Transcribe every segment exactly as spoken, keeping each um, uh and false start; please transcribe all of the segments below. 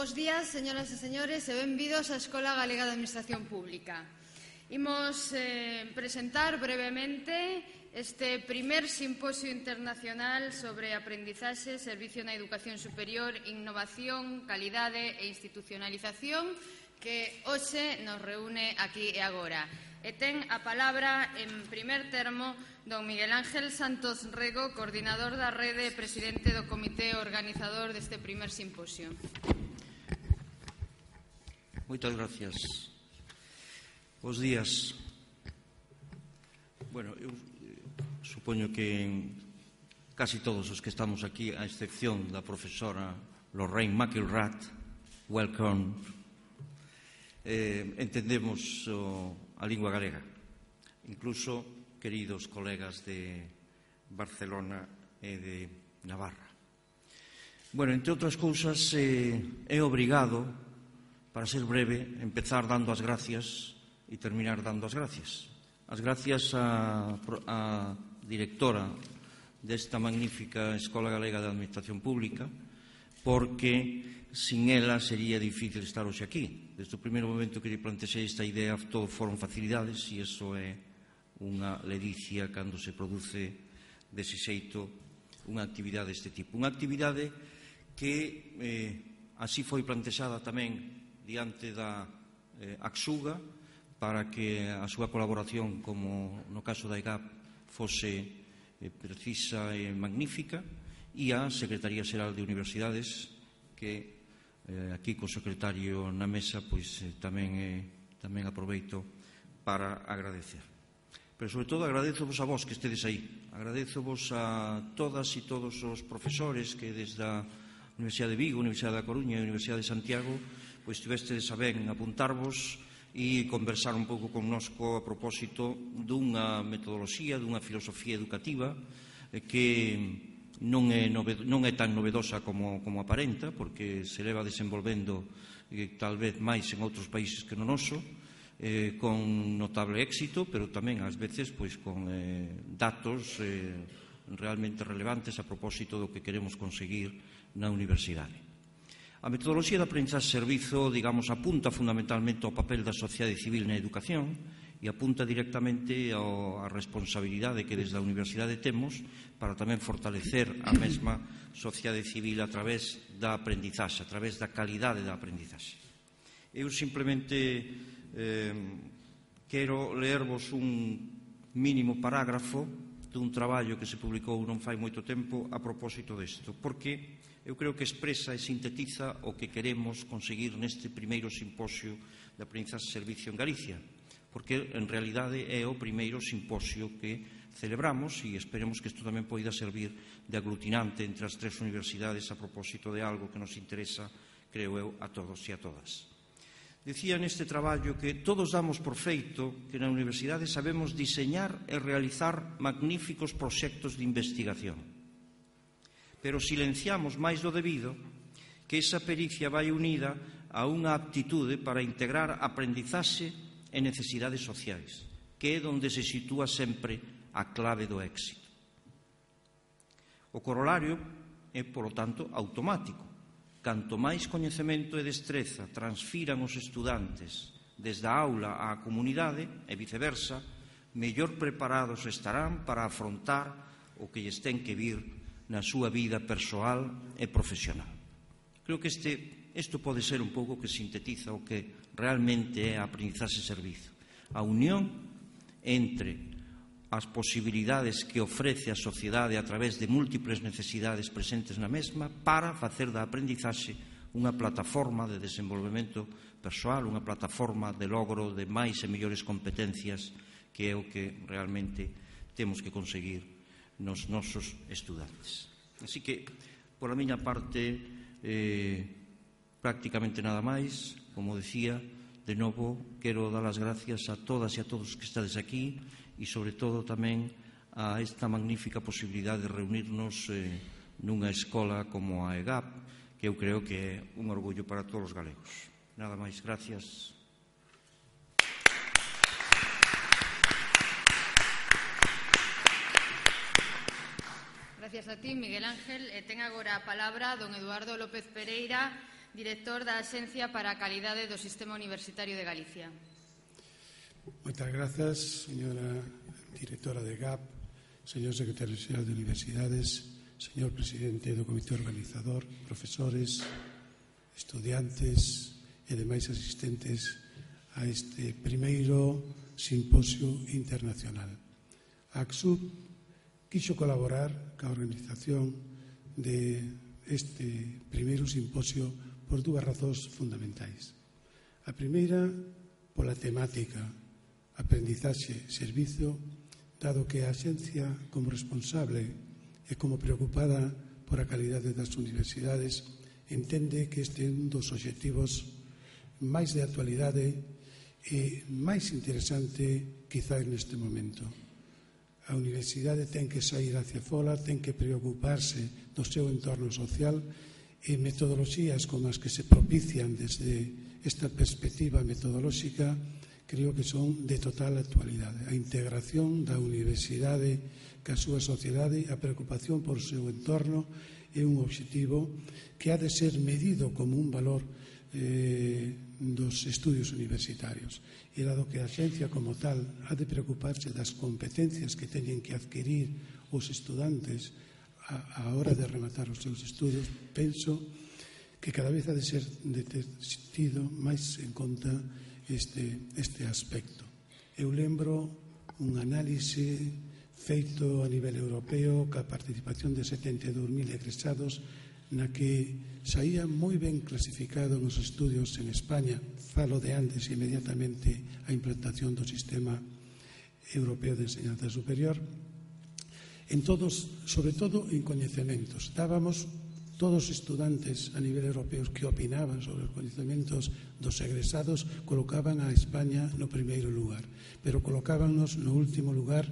Bos días, señoras e señores, e benvidos á Escola Galega de Administración Pública. Imos eh, presentar brevemente este primer simposio internacional sobre aprendizaxe, servicio na educación superior, innovación, calidade e institucionalización que hoxe nos reúne aquí e agora. E ten a palabra, en primer termo, don Miguel Ángel Santos Rego, coordinador da rede e presidente do comité organizador deste primer simposio. Moitas gracias. Bos días. Bueno, eu supoño que casi todos os que estamos aquí, a excepción da profesora Lorraine McIlrath, welcome, eh, entendemos o, a lingua galega. Incluso, queridos colegas de Barcelona e de Navarra. Bueno, entre outras cousas, eh, é obrigado, para ser breve, empezar dando as gracias e terminar dando as gracias. As gracias á, á directora desta magnífica Escola Galega de Administración Pública, porque sin ela sería difícil estar hoxe aquí. Desde o primeiro momento que lle plantexei esta idea, todo foron facilidades, e iso é unha ledicia cando se produce dese xeito unha actividade deste tipo. Unha actividade que eh, así foi plantexada tamén diante da eh, Axuga, para que a súa colaboración, como no caso da E G A P, fose eh, precisa e magnífica, e a Secretaría Xeral de Universidades, que eh, aquí co secretario na mesa, pois eh, tamén, eh, tamén aproveito para agradecer. Pero, sobre todo, agradezovos a vos que estedes aí. Agradezovos a todas e todos os profesores que desde a Universidade de Vigo, Universidade da Coruña e Universidade de Santiago pois tivestedes a ben apuntarvos e conversar un pouco connosco a propósito dunha metodoloxía, dunha filosofía educativa que non é, non é tan novedosa como, como aparenta, porque se leva desenvolvendo eh, tal vez máis en outros países que no noso, eh, con notable éxito, pero tamén ás veces pois con eh, datos eh, realmente relevantes a propósito do que queremos conseguir na universidade. A metodoloxía de aprendizaxe-servizo, digamos, apunta fundamentalmente ao papel da sociedade civil na educación e apunta directamente á responsabilidade que desde a universidade temos para tamén fortalecer a mesma sociedade civil a través da aprendizaxe, a través da calidade da aprendizaxe. Eu simplemente eh, quero leervos un mínimo parágrafo dun traballo que se publicou non fai moito tempo a propósito desto, porque eu creo que expresa e sintetiza o que queremos conseguir neste primeiro simposio de aprendizaxe-servicio en Galicia, porque en realidade é o primeiro simposio que celebramos e esperemos que isto tamén poida servir de aglutinante entre as tres universidades a propósito de algo que nos interesa, creo eu, a todos e a todas. Dicía neste traballo que todos damos por feito que na universidade sabemos diseñar e realizar magníficos proxectos de investigación, pero silenciamos máis do debido que esa pericia vai unida a unha aptitude para integrar aprendizaxe e necesidades sociais, que é onde se sitúa sempre a clave do éxito. O corolario é, polo tanto, automático. Canto máis coñecemento e destreza transfiran os estudantes desde a aula á comunidade e viceversa, mellor preparados estarán para afrontar o que lles ten que vir na súa vida persoal e profesional. Creo que este, isto pode ser un pouco que sintetiza o que realmente é a aprendizaxe-servizo. A unión entre as posibilidades que ofrece a sociedade a través de múltiples necesidades presentes na mesma para facer da aprendizaxe unha plataforma de desenvolvemento persoal, unha plataforma de logro de máis e mellores competencias, que é o que realmente temos que conseguir nos nosos estudantes. Así que, por a miña parte, eh, prácticamente nada máis. Como decía, de novo, quero dar as gracias a todas e a todos que estades aquí e, sobre todo, tamén a esta magnífica posibilidade de reunirnos eh, nunha escola como a E G A P, que eu creo que é un orgullo para todos os galegos. Nada máis, gracias. Gracias a ti, Miguel Ángel. E ten agora a palabra don Eduardo López Pereira, director da Axencia para a Calidade do Sistema Universitario de Galicia. Moitas grazas, señora directora de G A P, señor secretario xeral de Universidades, señor presidente do comité organizador, profesores, estudiantes e demais asistentes a este primeiro simposio internacional. A ACSUB quixo colaborar ca organización de este primeiro simposio por dúas razóns fundamentais. A primeira, pola temática, aprendizaxe, servizo, dado que a Axencia, como responsable e como preocupada por a calidade das universidades, entende que este é un dos obxectivos máis de actualidade e máis interesante quizás neste momento. A universidade ten que sair hacia fora, ten que preocuparse do seu entorno social e metodoloxías como as que se propician desde esta perspectiva metodolóxica creo que son de total actualidade. A integración da universidade ca súa sociedade, a preocupación por o seu entorno é un obxectivo que ha de ser medido como un valor eh, dos estudios universitarios. E dado que a Axencia como tal ha de preocuparse das competencias que teñen que adquirir os estudantes a, a hora de rematar os seus estudos, penso que cada vez ha de ser de ter tido máis en conta este, este aspecto. Eu lembro un análise feito a nivel europeo ca participación de setenta e dous mil egresados na que saía moi ben clasificado nos estudios en España, falo de antes inmediatamente a implantación do sistema europeo de enseñanza superior, en todos, sobre todo en coñecementos. Dábamos todos os estudantes a nivel europeo que opinaban sobre os coñecementos dos egresados colocaban a España no primeiro lugar, pero colocábanos no último lugar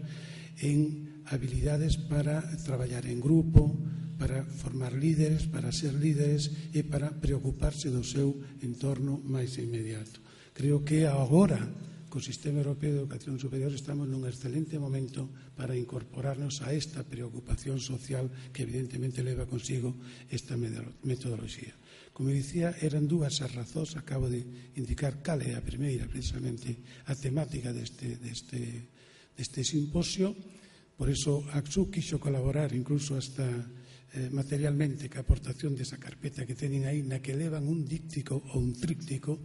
en habilidades para traballar en grupo, para formar líderes, para ser líderes e para preocuparse do seu entorno máis inmediato. Creo que agora, co Sistema Europeo de Educación Superior, estamos nun excelente momento para incorporarnos a esta preocupación social que evidentemente leva consigo esta metodoloxía. Como dicía, eran dúas as razóns, acabo de indicar cal é a primeira, precisamente a temática deste, deste, deste simposio. Por iso a ACSUB quixo colaborar incluso hasta eh, materialmente ca aportación desa carpeta que teñen aí na que levan un díptico ou un tríptico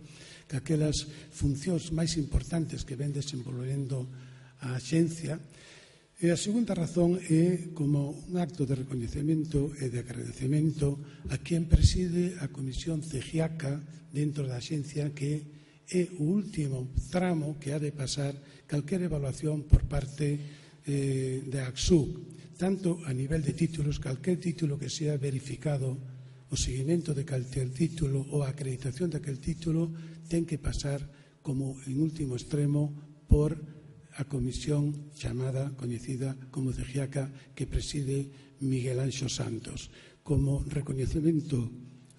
que aquelas funcións máis importantes que ven desenvolvendo a Axencia. E a segunda razón é como un acto de recoñecemento e de agradecemento a quen preside a Comisión CEGIACA dentro da Axencia, que é o último tramo que ha de pasar calquera evaluación por parte eh, da ACSUB, tanto a nivel de títulos, calquer título que sea verificado, o seguimento de calquer título ou a acreditación daquel título ten que pasar como en último extremo por a comisión chamada, coñecida como CEGIACA, que preside Miguel Anxo Santos, como recoñecemento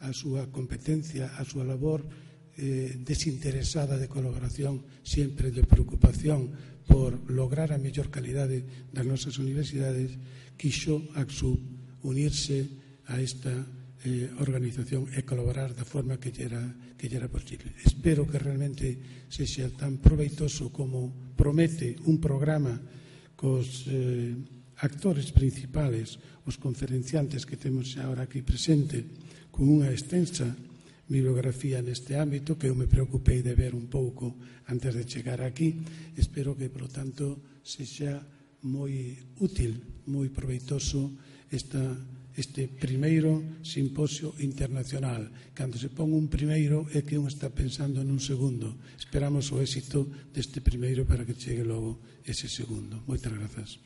a súa competencia, a súa labor eh, desinteresada de colaboración, sempre de preocupación por lograr a mellor calidade das nosas universidades, quixo ACSUB unirse a esta eh, organización e colaborar da forma que lle era, que lle era posible. Espero que realmente sexa tan proveitoso como promete un programa cos eh, actores principales, os conferenciantes que temos agora aquí presente, con unha extensa bibliografía neste ámbito que eu me preocupei de ver un pouco antes de chegar aquí. Espero que, por lo tanto, sexa moi útil, moi proveitoso esta este primeiro simposio internacional. Cando se pon un primeiro é que un está pensando nun segundo. Esperamos o éxito deste primeiro para que chegue logo ese segundo. Moitas grazas.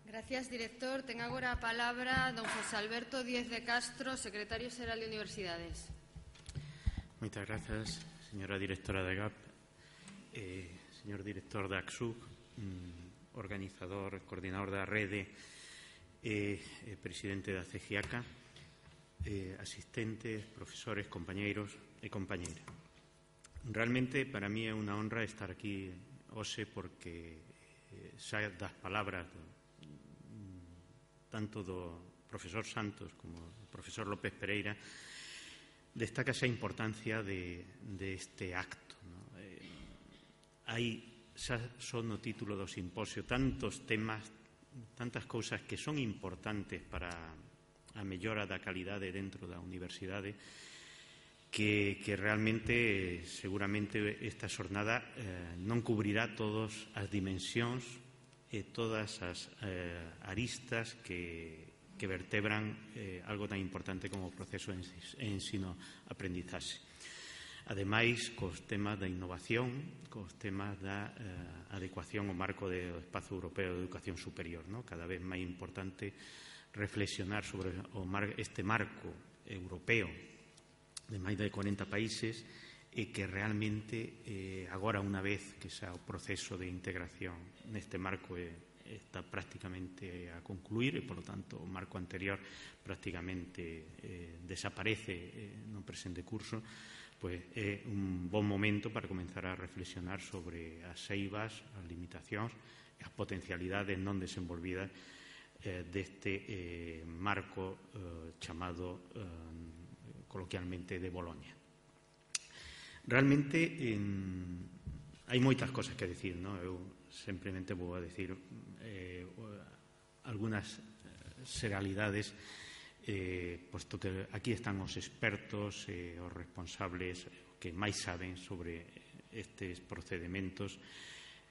Gracias, director. Ten agora a palabra don José Alberto Díez de Castro, secretario xeral de Universidades. Moitas grazas, señora directora da G A P. Eh, señor director da ACSUB, mm, organizador, coordinador da rede e eh, presidente da CEGIACA, eh, asistentes, profesores, compañeiros e compañeiras. Realmente, para mí é unha honra estar aquí hoxe porque eh, xa das palabras do, tanto do profesor Santos como do profesor López Pereira, destaca esa importancia de, de este acto, ¿no? Eh, hai, xa son no título do simposio, tantos temas, tantas cousas que son importantes para a mellora da calidade dentro da universidade, que, que realmente, seguramente, esta xornada eh, non cubrirá todas as dimensións e todas as eh, aristas que, que vertebran eh, algo tan importante como o proceso de ensino-aprendizaxe. Ademais, cos temas da innovación, cos temas da eh, adecuación ao marco do Espazo Europeo de Educación Superior, ¿no? Cada vez máis importante reflexionar sobre o mar, este marco europeo de máis de corenta países e que realmente eh, agora, unha vez que xa o proceso de integración neste marco eh, está prácticamente a concluir e, polo tanto, o marco anterior prácticamente eh, desaparece eh, no presente curso, pois é un bon momento para comenzar a reflexionar sobre as eivas, as limitacións e as potencialidades non desenvolvidas eh, deste eh, marco eh, chamado eh, coloquialmente de Boloña. Realmente en, hai moitas cosas que decir, ¿no? Eu simplemente vou a decir eh, algunas seralidades, eh, posto que aquí están os expertos e eh, os responsables que máis saben sobre estes procedementos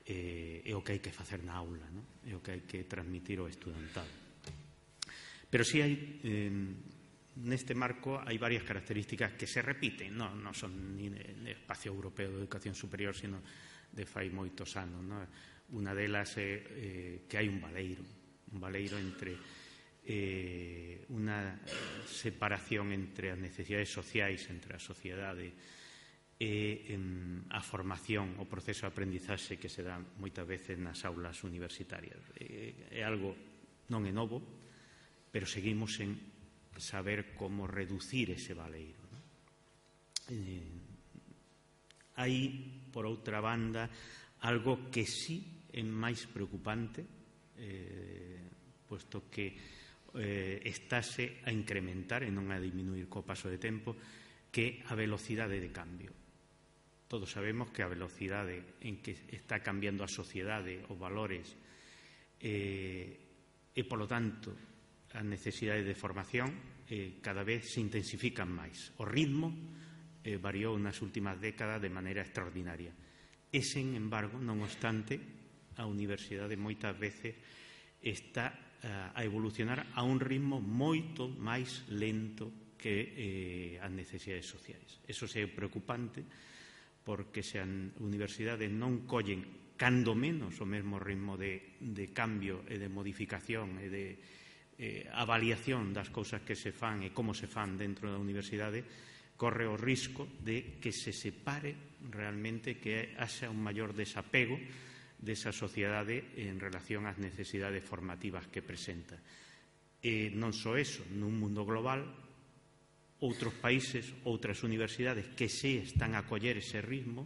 eh, e o que hai que facer na aula, ¿no? E o que hai que transmitir ao estudantado. Pero si hai eh, neste marco hai varias características que se repiten, non, non son ni de Espacio Europeo de Educación Superior, sino de fai moitos anos, non? Unha delas é eh, que hai un baleiro, un baleiro entre eh, unha separación entre as necesidades sociais, entre a sociedade e em, a formación, o proceso de aprendizaxe que se dá moitas veces nas aulas universitarias. É, é algo non é novo, pero seguimos en saber como reducir ese baleiro, ¿no? Eh, hai, por outra banda, algo que sí é máis preocupante, eh, posto que eh, estáse a incrementar e non a diminuir co paso de tempo, que a velocidade de cambio. Todos sabemos que a velocidade en que está cambiando a sociedade, os valores, eh, e, polo tanto, as necesidades de formación eh, cada vez se intensifican máis. O ritmo eh, variou nas últimas décadas de maneira extraordinaria. E, sen embargo, non obstante, a universidade moitas veces está uh, a evolucionar a un ritmo moito máis lento que eh, as necesidades sociais. Eso é preocupante, porque se as universidades non collen cando menos o mesmo ritmo de, de cambio e de modificación e de Eh, avaliación das cousas que se fan e como se fan dentro da universidade, corre o risco de que se separe realmente, que haxa un maior desapego desa sociedade en relación ás necesidades formativas que presenta. E non só eso, nun mundo global, outros países, outras universidades que se están a coller ese ritmo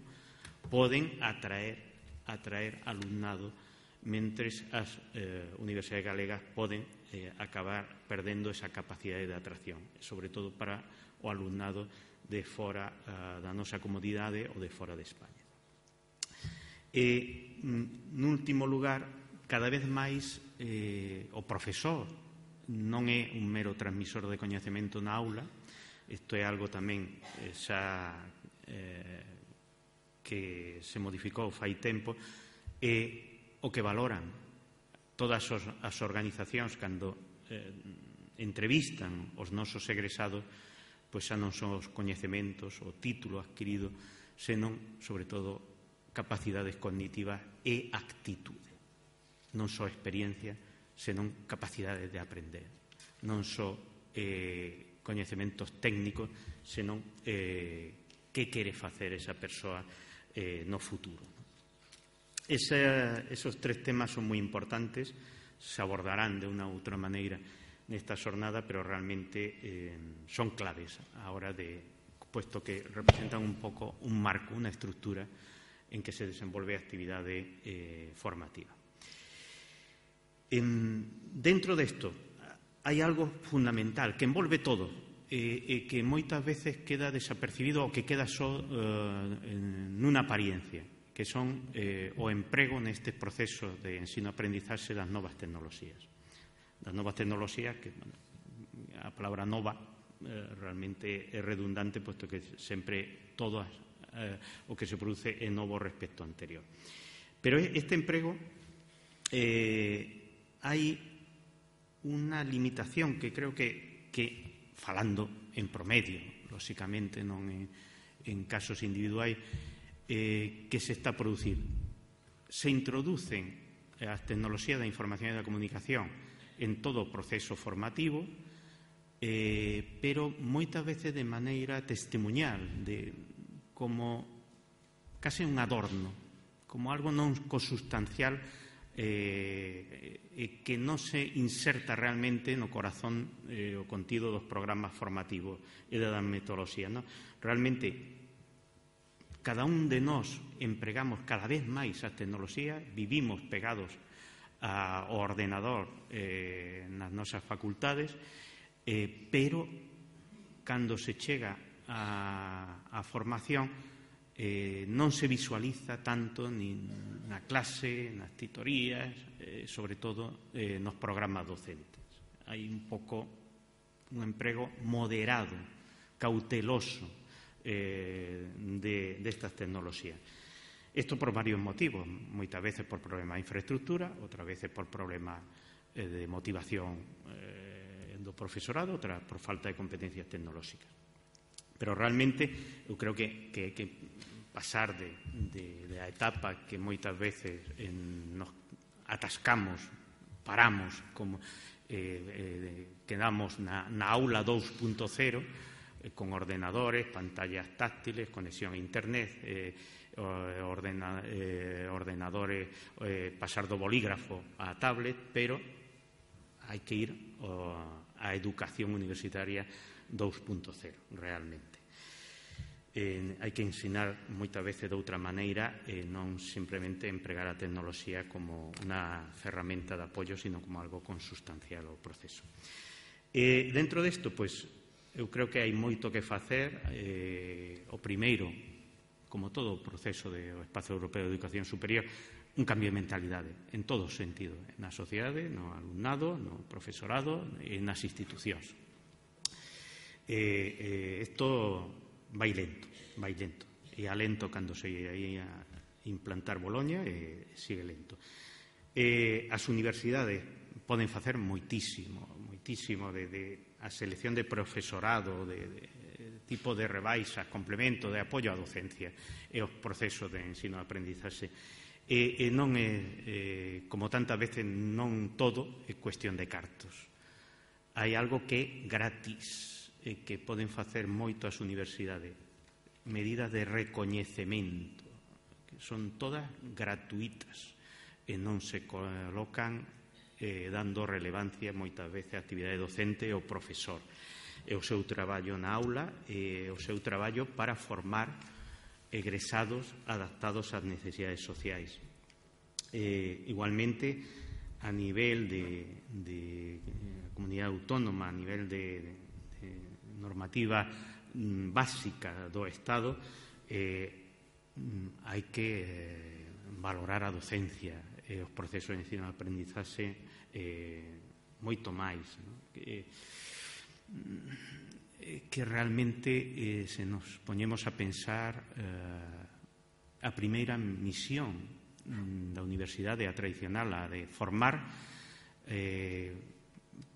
poden atraer, atraer alumnado, mentres as eh, universidades galegas poden eh, acabar perdendo esa capacidade de atracción, sobre todo para o alumnado de fora uh, da nosa comodidade ou de fora de España. E, nun último lugar, cada vez máis eh, o profesor non é un mero transmisor de coñecemento na aula. Isto é algo tamén eh, xa eh, que se modificou fai tempo, e o que valoran todas as organizacións cando eh, entrevistan os nosos egresados, pois xa non son os coñecementos, o título adquirido, senón, sobre todo, capacidades cognitivas e actitude. Non só experiencia, senón capacidades de aprender. Non só eh, coñecementos técnicos, senón eh, que quere facer esa persoa eh, no futuro. Esa, esos tres temas son moi importantes, se abordarán de unha ou outra maneira nesta xornada, pero realmente eh, son claves a hora de, puesto que representan un pouco un marco, unha estructura en que se desenvolve a actividade eh, formativa. En, dentro desto, hai algo fundamental que envolve todo e, e que moitas veces queda desapercibido ou que queda só uh, nunha apariencia, que son eh, o emprego neste proceso de ensino-aprendizaxe das novas tecnoloxías. Das novas tecnoloxías, que bueno, a palabra nova eh, realmente é redundante, posto que sempre todo eh, o que se produce é novo respecto ao anterior. Pero este emprego eh, hai unha limitación que creo que, que falando en promedio, lóxicamente non en, en casos individuais, eh, que se está a producir. Se introducen as tecnoloxías da información e da comunicación en todo o proceso formativo, eh, pero moitas veces de maneira testemuñal, de, como case un adorno, como algo non consustancial, eh, que non se inserta realmente no corazón eh, o contido dos programas formativos e das metodoloxías. No? Realmente, cada un de nós empregamos cada vez máis as tecnoloxías, vivimos pegados ao ordenador eh, nas nosas facultades, eh, pero cando se chega á formación Eh, non se visualiza tanto ni na clase, nas titorías, eh, sobre todo eh, nos programas docentes. Hai un pouco un emprego moderado, cauteloso eh, de, de estas tecnoloxías. Isto por varios motivos, moitas veces por problemas de infraestructura, outras veces por problemas eh, de motivación eh, do profesorado, outras por falta de competencias tecnolóxicas. Pero realmente eu creo que, que, que pasar de, de, de a etapa que moitas veces en, nos atascamos, paramos, como eh, eh, quedamos na, na aula dos punto cero, eh, con ordenadores, pantallas táctiles, conexión a internet, eh, ordena, eh, ordenadores, eh, pasar do bolígrafo á tablet, pero hai que ir oh, á educación universitaria dos punto cero, realmente. Eh, hai que ensinar moitas veces de outra maneira, eh, non simplemente empregar a tecnoloxía como unha ferramenta de apoio, sino como algo consustancial ao proceso. Eh, dentro desto, pois, eu creo que hai moito que facer. Eh, o primeiro, como todo o proceso do Espazo Europeo de Educación Superior, un cambio de mentalidade, en todo sentido, na sociedade, no alumnado, no profesorado e nas institucións. Eh, eh, isto vai lento, vai lento. E a lento cando se ia implantar Boloña, e sigue lento. E as universidades poden facer moitísimo, moitísimo de, de a selección de profesorado, de, de tipo de rebaixas, complemento, de apoio á docencia e os procesos de ensino e aprendizaxe. E, e non é, eh, como tantas veces, non todo é cuestión de cartos. Hai algo que é gratis, e que poden facer moito as universidades, medidas de recoñecemento, que son todas gratuitas e non se colocan eh, dando relevancia moitas veces a actividade docente e ao profesor, e o seu traballo na aula e o seu traballo para formar egresados adaptados ás necesidades sociais. Eh, igualmente, a nivel de, de comunidade autónoma, a nivel de, de normativa básica do Estado, eh, hai que eh, valorar a docencia e os procesos de ensino e aprendizaxe eh, moito máis, no? que, eh, que realmente eh, se nos poñemos a pensar eh, a primeira misión da universidade, a tradicional, a de formar, eh,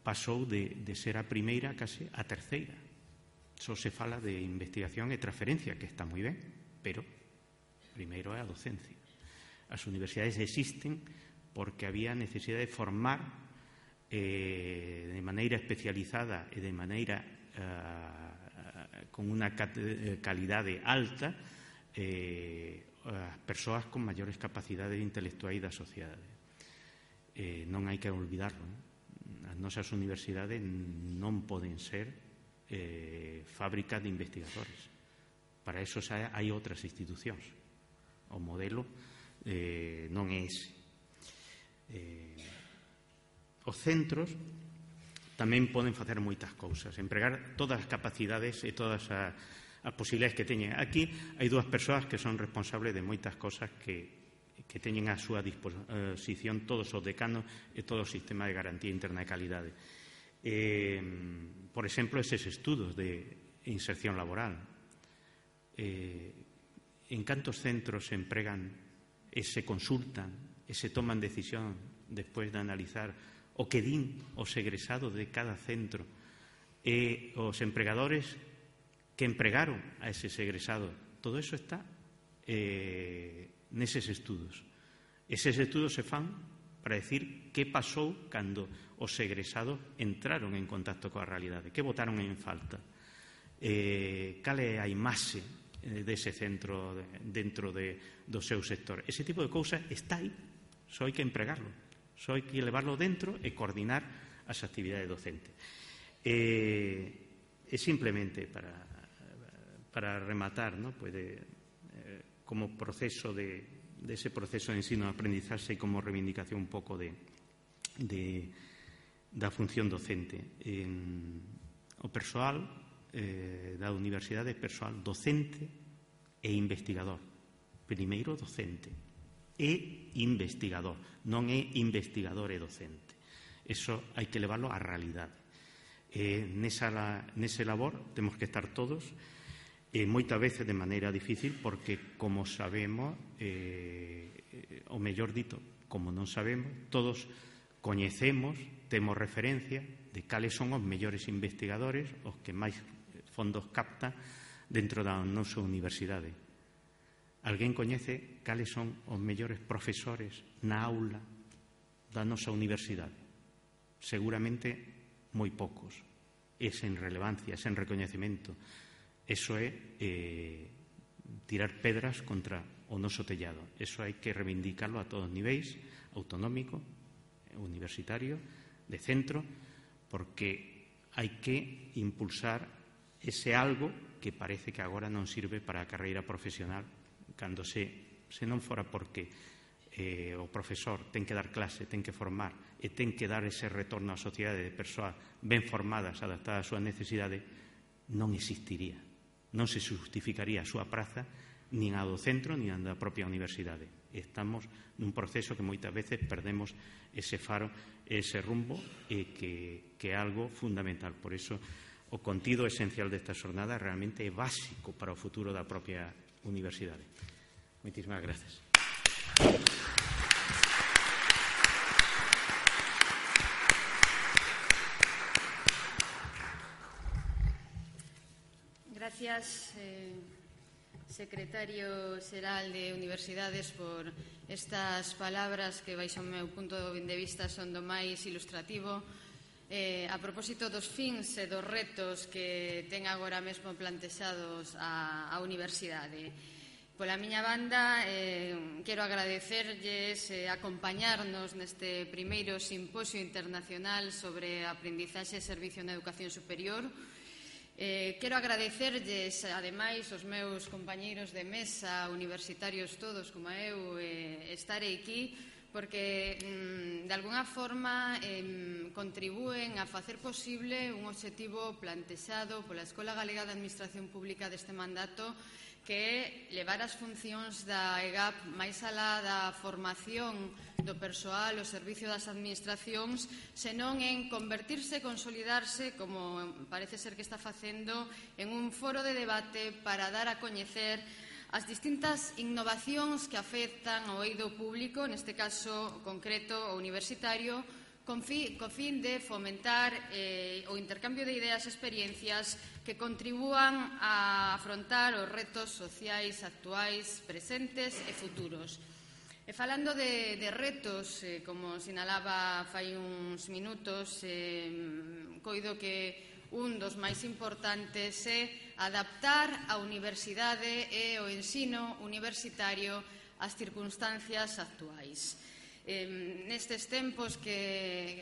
pasou de, de ser a primeira case a terceira. Só se fala de investigación e transferencia, que está moi ben, pero primeiro é a docencia. As universidades existen porque había necesidade de formar eh, de maneira especializada e de maneira eh, con unha calidade alta eh, as persoas con maiores capacidades intelectuais da sociedade. Eh, non hai que olvidarlo, non? As nosas universidades non poden ser Eh, fábrica de investigadores. Para eso hai outras institucións. O modelo eh, non é ese. Eh, os centros tamén poden facer moitas cousas, empregar todas as capacidades e todas as, as posibilidades que teñen. Aquí hai dúas persoas que son responsables de moitas cousas que, que teñen a súa disposición todos os decanos e todo o sistema de garantía interna de calidade. Eh, por exemplo, eses estudos de inserción laboral. Eh, en cantos centros se empregan e se consultan e se toman decisión despois de analizar o que din os egresados de cada centro e os empregadores que empregaron a eses egresados. Todo eso está eh, neses estudos. Eses estudos se fan para decir que pasou cando os egresados entraron en contacto coa realidade, que botaron en falta, eh, cal é a imaxe dese centro dentro de, do seu sector. Ese tipo de cousas está aí, só hai que empregarlo, só hai que levarlo dentro e coordinar as actividades docentes. Eh, e simplemente para, para rematar, ¿no? Pues de, eh, como proceso de, de ese proceso de ensino-aprendizaxe e como reivindicación un pouco de, de, da función docente. En, o persoal eh, da universidade é persoal docente e investigador. Primeiro docente e investigador, non é investigador e docente. Eso hai que levarlo á realidade. Eh, nesa, nese labor temos que estar todos, e moitas veces de maneira difícil, porque, como sabemos, eh, o mellor dito, como non sabemos, todos coñecemos, temos referencia de cales son os mellores investigadores, os que máis fondos captan dentro da nosa universidade. Alguén coñece cales son os mellores profesores na aula da nosa universidade? Seguramente moi poucos. É sen relevancia, é sen recoñecemento. Eso é eh, tirar pedras contra o noso tellado. Eso hai que reivindicarlo a todos os niveis, autonómico, universitario, de centro, porque hai que impulsar ese algo que parece que agora non sirve para a carreira profesional, cando se, se non fora porque eh, o profesor ten que dar clase, ten que formar e ten que dar ese retorno á sociedade de persoas ben formadas, adaptadas ás súas necesidades, non existiría, non se justificaría a súa praza nin a do centro nin a da propia universidade. Estamos nun proceso que moitas veces perdemos ese faro, ese rumbo, e que, que é algo fundamental. Por iso, o contido esencial desta xornada realmente é básico para o futuro da propia universidade. Moitísimas gracias. Gracias, eh, secretario xeral de Universidades, por estas palabras que, baixo o meu punto de vista, son do máis ilustrativo. Eh, a propósito dos fins e dos retos que ten agora mesmo plantexados a, a Universidade. Pola miña banda, eh, quero agradecerlles eh, acompañarnos neste primeiro simposio internacional sobre aprendizaxe e servicio na educación superior. Eh, quero agradecerlles, ademais, os meus compañeiros de mesa, universitarios todos, como eu, eh, estarei aquí, porque, mm, de alguna forma, eh, contribúen a facer posible un obxectivo plantexado pola Escola Galega de Administración Pública deste mandato, que é levar as funcións da E G A P máis alá da formación do persoal ao servicio das administracións, senón en convertirse e consolidarse, como parece ser que está facendo, en un foro de debate para dar a coñecer as distintas innovacións que afectan ao eido público, neste caso concreto o universitario, con fin, co fin de fomentar eh, o intercambio de ideas e experiencias que contribúan a afrontar os retos sociais actuais, presentes e futuros. E falando de, de retos, eh, como sinalaba fai uns minutos, eh, coido que un dos máis importantes é adaptar a universidade e o ensino universitario ás circunstancias actuais. Eh, nestes tempos que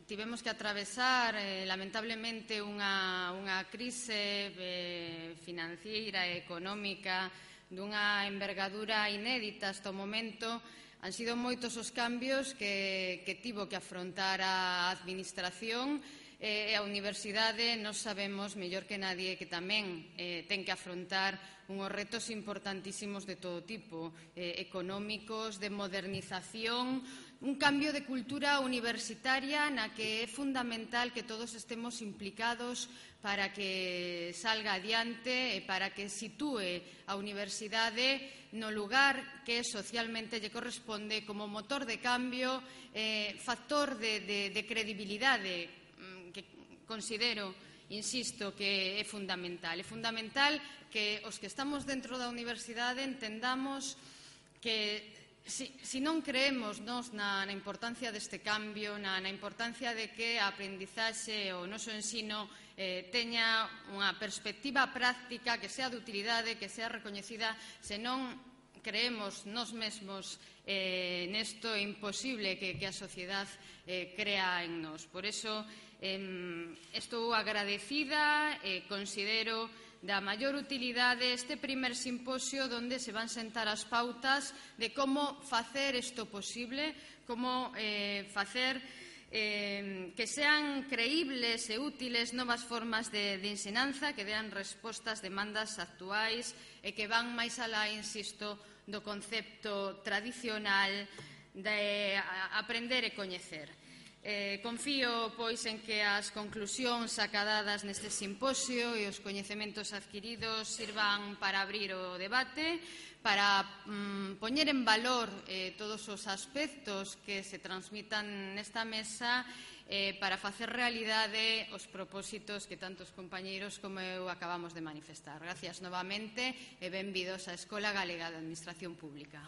tivemos que atravesar eh, lamentablemente unha, unha crise eh, financiera e económica dunha envergadura inédita hasta o momento, han sido moitos os cambios que, que tivo que afrontar a administración, e a universidade nos sabemos mellor que nadie que tamén eh, ten que afrontar unhos retos importantísimos de todo tipo, eh, económicos, de modernización, un cambio de cultura universitaria na que é fundamental que todos estemos implicados para que salga adiante e para que sitúe a universidade no lugar que socialmente lle corresponde como motor de cambio, eh, factor de, de, de credibilidade que considero, insisto, que é fundamental. É fundamental que os que estamos dentro da universidade entendamos que Si, si non creemos nos na, na importancia deste cambio, na, na importancia de que a aprendizaxe o noso ensino eh, teña unha perspectiva práctica que sea de utilidade, que sea recoñecida, se non creemos nos mesmos eh, nesto é imposible que, que a sociedade eh, crea en nos. Por eso eh, estou agradecida e eh, considero da maior utilidade este primer simposio onde se van sentar as pautas de como facer isto posible, como eh, facer eh, que sean creíbles e útiles novas formas de, de ensinanza que dean respostas a demandas actuais e que van máis alá, insisto, do concepto tradicional de aprender e coñecer. Eh, confío, pois, en que as conclusións acadadas neste simposio e os coñecementos adquiridos sirvan para abrir o debate, para mm, poñer en valor eh, todos os aspectos que se transmitan nesta mesa, eh, para facer realidade os propósitos que tantos compañeiros como eu acabamos de manifestar. Gracias novamente e benvidos á Escola Galega de Administración Pública.